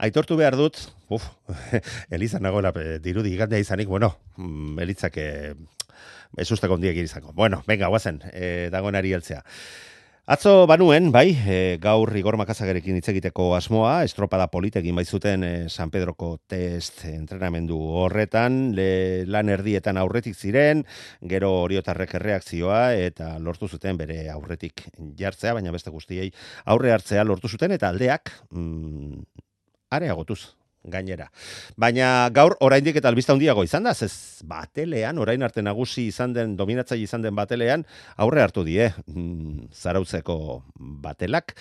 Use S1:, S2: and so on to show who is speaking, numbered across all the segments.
S1: aitortu behar dut, Eliza nagoela dirudi igandea izanik, Elizak ezusteko ondiek izango. Bueno, venga, guazen, dagoenari heltzea. Atzo banuen, gaur Igor Makazagarekin hitz egiteko asmoa, estropada politekin baizuten San Pedroko test entrenamendu horretan, lan erdietan aurretik ziren, gero oriotarrek erreakzioa eta lortu zuten bere aurretik jartzea, baina beste guztiei aurre hartzea lortu zuten eta aldeak areagotuz gainera. Baina gaur oraindik eta albista handiago izan da, ez batelean, orain arte nagusi izan den, dominatzaile izan den batelean, aurre hartu die Zarautzeko batelak.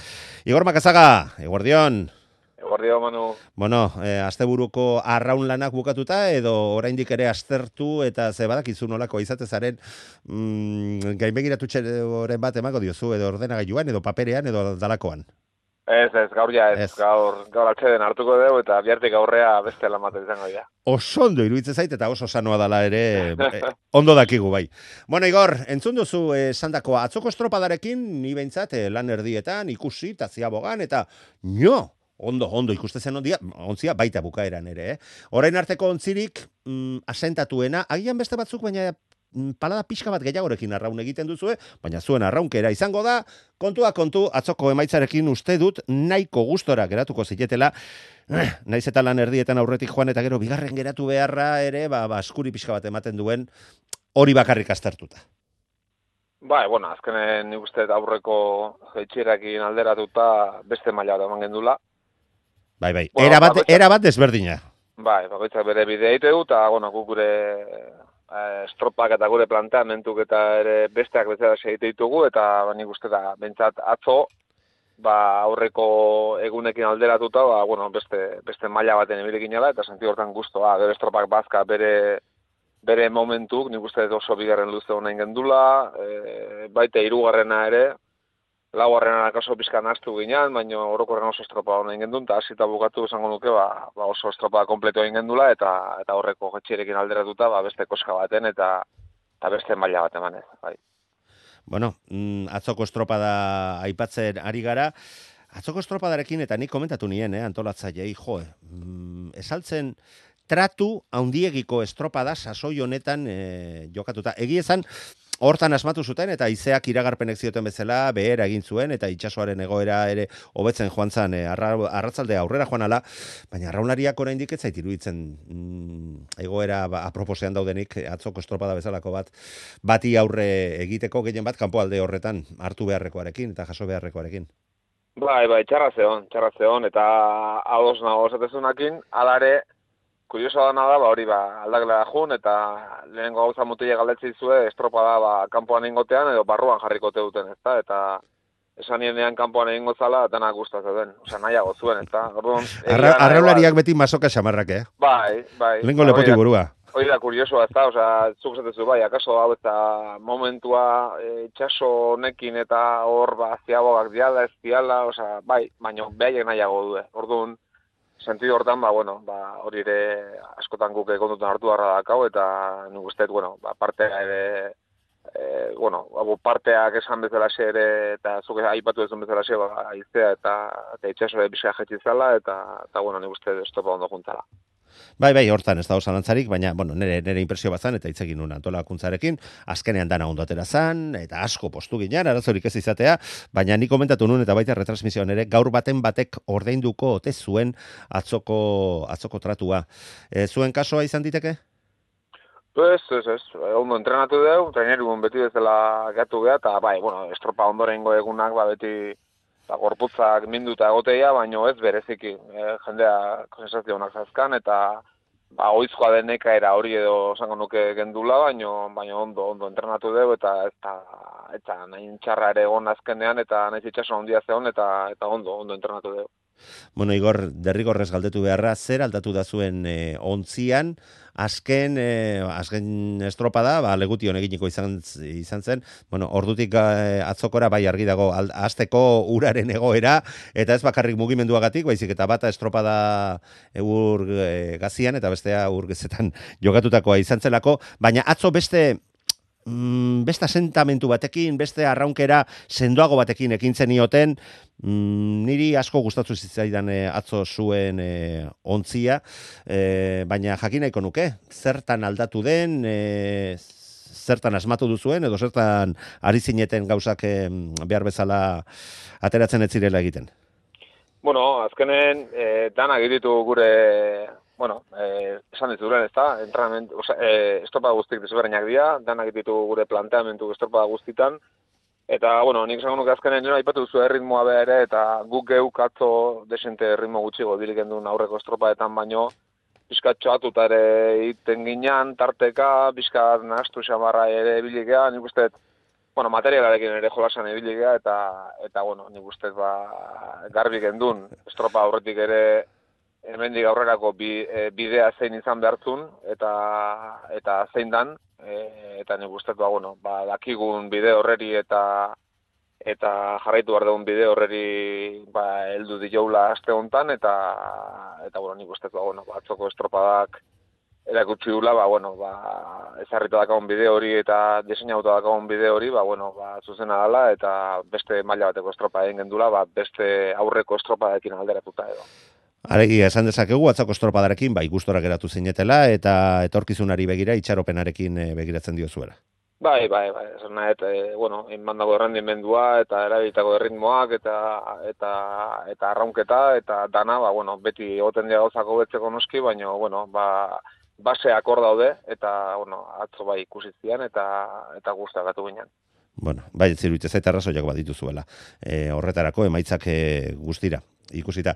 S1: Igor Makazaga, eguerdion.
S2: Eguerdion, Manu.
S1: Asteburuko arraun lanak bukatuta, edo oraindik ere aztertu eta ze badakizu nolako izatezaren gainbegiratu txeroren bat emako diozu, edo ordenagailuan, edo paperean, edo dalakoan.
S2: Ez, gaur gaur atxeden hartuko dugu eta bihartik aurrea beste lamate izango dira.
S1: Oso ondo iruditzen zait eta oso sanoa dala ere ondo dakigu bai. Bueno, Igor, entzun duzu esandakoa atzoko estropadarekin ni behintzat lan erdietan ikusi eta ziabogan eta ondo ikustezen ontzia baita bukaeran ere. Orain arteko ontzirik asentatuena, agian beste batzuk baina palada pixka bat gehiagorekin arraun egiten duzue, baina zuen arraunkera izango da, kontua kontu, atzoko emaitzarekin uste dut, nahiko gustora geratuko zitetela, naiz eta lan erdietan aurretik joan eta gero bigarren geratu beharra ere, askuri pixka bat ematen duen, hori bakarrik aztertuta.
S2: Azkenen nik uste aurreko jeitxirakin alderatuta beste maila bat eman gendula.
S1: Bai, era bat desberdina.
S2: Bakoitzak bere bidea egite du, eta guk gure estropak eta gure planteamentuk eta ere besteak bezala segite ditugu, eta nik uste da, bentsat atzo, aurreko egunekin alderatuta, beste maila baten ebilekin ala, eta senti hortan guztoa, gero estropak bazka bere momentuk, nik uste oso bigarren luze honain gendula, baita hirugarrena ere, laugarrena akaso pizkan astu ginean, baina orokorren oso estropa honain gendun, eta hasita bukatu esango nuke, oso estropa kompleto egin gendula, eta horreko jetxirekin alderatuta, beste koska baten, eta beste maila bat emanez, bai.
S1: Bueno, atzoko estropada aipatzen ari gara, atzoko estropadarekin, eta nik komentatu nien, antolatzailei, esaltzen tratu handiegiko estropada sasoi honetan jokatuta. Egiezan, hortan asmatu zuten eta izeak iragarpenek zioten bezala behera egin zuen eta itsasoaren egoera ere hobetzen joan zan arratzaldea aurrera joan ala, baina arraunlariak oraindik ez zait iruditzen egoera aproposean daudenik atzoko estropada bezalako bati aurre egiteko gehien bat kanpoalde horretan hartu beharrekoarekin eta jaso beharrekoarekin.
S2: Bai, txarra zeon, eta ados nago esatezunakin, alare, kurioso dana da, hori aldakela jun, eta lehenengo gauza mutile galdetzi zue, estropada kanpoan ingotean, edo barruan jarriko duten, ezta, eta esan nienean kanpoan egingo zala, denak gustatzen den, nahiago zuen, ezta.
S1: Arraulariak beti masoka xamarrak,
S2: Bai.
S1: Lehenko lepoti burua.
S2: Hori da, kuriosoa, ezta, zuk zatezu, akaso hau eta momentua itxaso honekin eta hor ziabogak diala, ez diala, baina behaiek nahiago du, orduan, sentido hortan, hori ere askotan guk kontutan hartu harra dakau, eta nik usteet, partea ere, parteak esan bezalaxe ere, eta zuke aipatu ezun bezalaxe, aiztea eta itxaso ere bizka jetxizala, eta nik usteet estopa ondo juntzala.
S1: Bai, hortan ez da osalantzarik, baina, nire impresio bat zan, eta itzegin nuen antolakuntzarekin, azkenean dana ondo atera zan, eta asko postu ginean, arazorik ez izatea, baina nik komentatu nuen, eta baita retransmisioan ere, gaur batek ordainduko ote zuen atzoko tratua. Zuen kasoa izan diteke?
S2: Ez, ondo entrenatu dugu, trainerun beti bezala gatu geha, eta estropa ondorengo egunak beti gorputzak minduta egoteia, baina ez bereziki. Jendea sensazio honak zazkan, eta oizkoa deneka era hori edo esango nuke gendula, baina ondo entrenatu dugu, eta nahi txarra ere egon azkenean, eta nahi itxaso handia zeon, eta ondo entrenatu dugu.
S1: Igor, derrigorrez galdetu beharra, zer aldatu da zuen ontzian, azken estropada, legution eginiko izan zen, ordutik atzokora bai argi dago, hasteko uraren egoera, eta ez bakarrik mugimenduagatik, baizik eta bata estropada ur gazian, eta bestea ur gezetan jokatutakoa izan zelako, baina atzo beste beste asentamentu batekin, beste arraunkera sendoago batekin ekin zenioten, niri asko gustatu zitzaidan atzo zuen ontzia, baina jakin nahiko nuke, zertan aldatu den, zertan asmatu duzuen, edo zertan ari zineten gauzak behar bezala ateratzen ez zirela egiten.
S2: Bueno, azkenen danak ditu gure, esan dituren, ez da, estropada guztik desberdinak dira, danak ditu gure planteamentu estropada guztitan, eta, nik esango nuke azkenen nire aipatu duzu erritmoa beha ere, eta guk geuk atzo desente ritmo gutxigo dilik endun aurreko estropadetan baino, pixkat txoatuta ere iten ginean, tarteka, pixkat nahastu xamarra ere bilikea, nik uste, materialarekin ere jolasan ibiligea eta nik uste garbi gendun estropa aurretik ere hemendik aurrerako bidea zein izan behartzun eta zein dan eta nik uste dakigun bide horreri eta jarraitu behar dugun bide horreri heldu dioula aste hontan eta nik uste atzoko estropadak erakutsi dula, ezarrita dakagun bide hori eta diseinauta dakagun bide hori, zuzena dela eta beste maila bateko estropa egin gendula, beste aurreko estropadarekin alderatuta edo.
S1: Alegia, esan dezakegu, atzako estropadarekin, gustora geratu zinetela eta etorkizunari begira, itxaropenarekin begiratzen diozuela.
S2: Bai, esan nahet, inbandako errendimendua eta erabilitako erritmoak eta arraunketa eta dana, beti egoten dira gauzako betzeko noski, baina, baseak hor daude, eta, atzo ikusi zian, eta gustagatu ginen.
S1: Ziruitz ez eta arrazoiak badituzuela. Horretarako emaitzak guztira ikusita.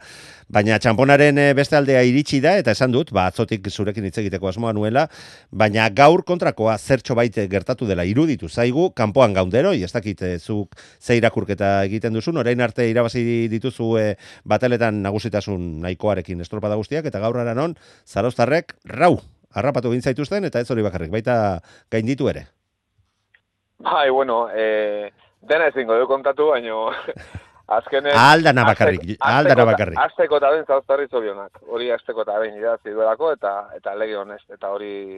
S1: Baina txamponaren beste aldea iritsi da, eta esan dut, atzotik zurekin hitz egiteko asmoa nuela, baina gaur kontrakoa zertxo baite gertatu dela iruditu zaigu, kanpoan gaundero, ez dakit zuk ze irakurketa egiten duzun, orain arte irabazi dituzu bateletan nagusitasun nahikoarekin estropada guztiak, eta gaur aranon, Zarauztarrek harrapatu gintzaituzten, eta ez hori bakarrik, baita gainditu ere.
S2: Dena ezingo du kontatu, baino azkenen...
S1: Aldana bakarrik.
S2: Azteko eta ben Zarauztarri zorionak. Hori azteko eta ben idatzi duelako, eta lege honez, eta hori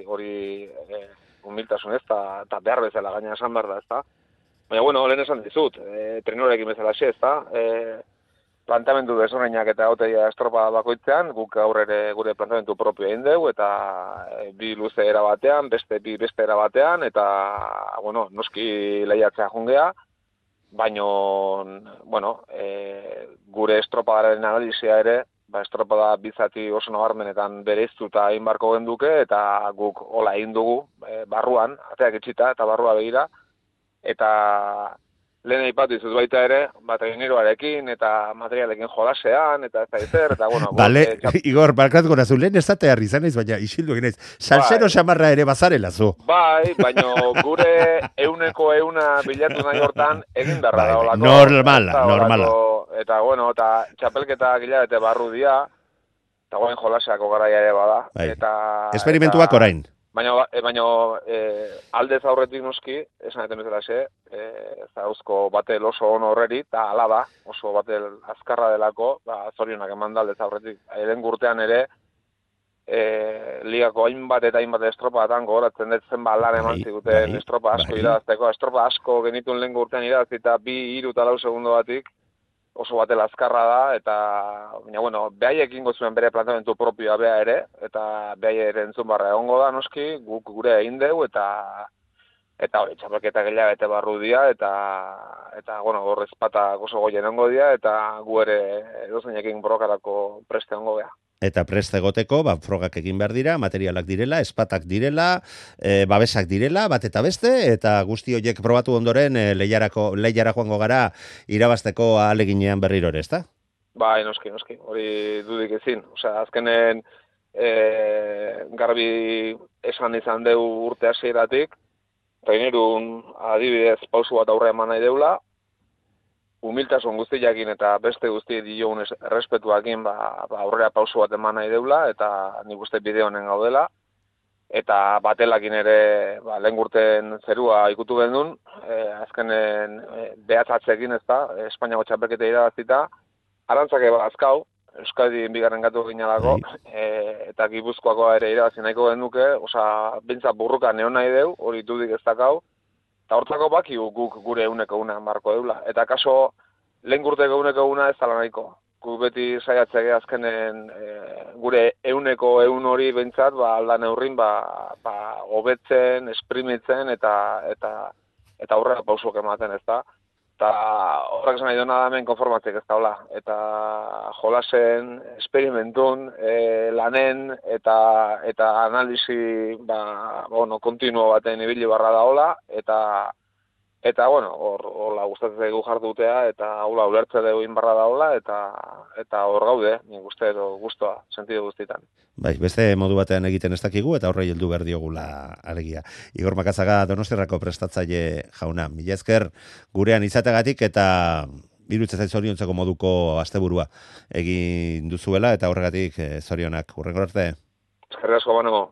S2: humiltasun ez, eta behar bezala gaina esan behar da, ez da. Baina, lehen esan dizut, trenorekin bezala xe, ez da. Planteamendu desordeinak eta hauteia estropa bakoitzean, guk gaur ere gure planteamendu propio egin dugu, eta bi luze era batean, beste era batean, eta, noski lehiatzea jungea, baina, gure estropadaren analizia ere, estropada bizati oso nabarmenetan bereiztuta egin barko genduke, eta guk hola egin dugu, barruan, ateak itxita eta barrua begira, eta lehen aipatu izuz baita ere, traineroarekin eta materialekin jolasean, eta ez da ezer, eta
S1: Bale, Igor, barkatuko nazu, lehen ez zatea izan ez, baina isildu egin ez, salsero xamarra ere bazarela zu.
S2: Baina gure euneko bilatu nahi hortan egin berra da olako.
S1: Normala.
S2: Eta txapelketa gilabete barru dia, eta jolaseako garaia ere bada.
S1: Esperimentuak orain.
S2: Baina aldez aurretik noski, esan eten bezala xe, Zarauzko batel oso ono horreri, eta ala da, oso batel azkarra delako, zorionak eman da aldez aurretik. Eden gurtean ere, ligako hainbat eta hainbat estropatan gogoratzen dut zen lan eman ziguten estropa asko irazteko. Estropa asko genitun lehen gurtean irazti eta 2, 3 eta 4 segundo batik, oso batel azkarra da, eta, behaiek ingo zuen bere planteamentu propioa beha ere, eta behai ere entzun barra egongo da, noski, guk gure egin dugu, eta hori, txapelketa gehiagete barru dia, eta gorrez patak oso goien ongo dia, eta gu ere edozeinekin borrokarako preste ongo beha.
S1: Eta preste egoteko, frogak egin behar dira, materialak direla, espatak direla, babesak direla, bat eta beste, eta guzti horiek probatu ondoren lehiara joango gara irabazteko ahaleginean berriro ere, ezta?
S2: Bai, noski, hori dudik ezin. Azkenen garbi esan izan deu urte hasieratik, trainerun adibidez pausu bat aurre eman nahi deula, humiltasun guztiakin eta beste guzti diogun errespetuakin aurrera pausu bat eman nahi deula, eta nik uste bide honen gaudela, eta batelakin ere lehen gurten zerua ikutu gendun, azkenen behatzatzekin ez da, Espainiako txapelketa irabazita, arantzake azkau, Euskadi bigarren gatu ginalako, eta Gipuzkoako ere irabazi nahiko genduke, bintza burruka neon nahi deu, hori dudik ez dakau, Eta hortzako baki guk gure euneko una marko deula. Eta kaso, lehen gurteko euneko una ez dala nahiko. Guk beti saiatzege azkenen gure euneko eun hori behintzat, aldan eurrin, hobetzen, esprimitzen eta aurrera pausok ematen, ez da. Eta horrek esan nahi duena da hemen konformatzik ez daula. Eta jolasen, esperimentun, lanen eta analisi kontinuo baten ibili barra daola. Eta hola gustatzen zaigu jardutea eta hola ulertze dugu inbarra daola eta hor gaude, nik uste edo gustoa, sentidu guztitan.
S1: Bai, beste modu batean egiten ez dakigu eta horrei heldu behar diogula alegia. Igor Makazaga Donostiarrako prestatzaile jauna. Mila esker gurean izategatik eta iruditzen zait zoriontzeko moduko asteburua egin duzuela eta horregatik zorionak. Hurrengora arte.
S2: Eskerrik asko banego.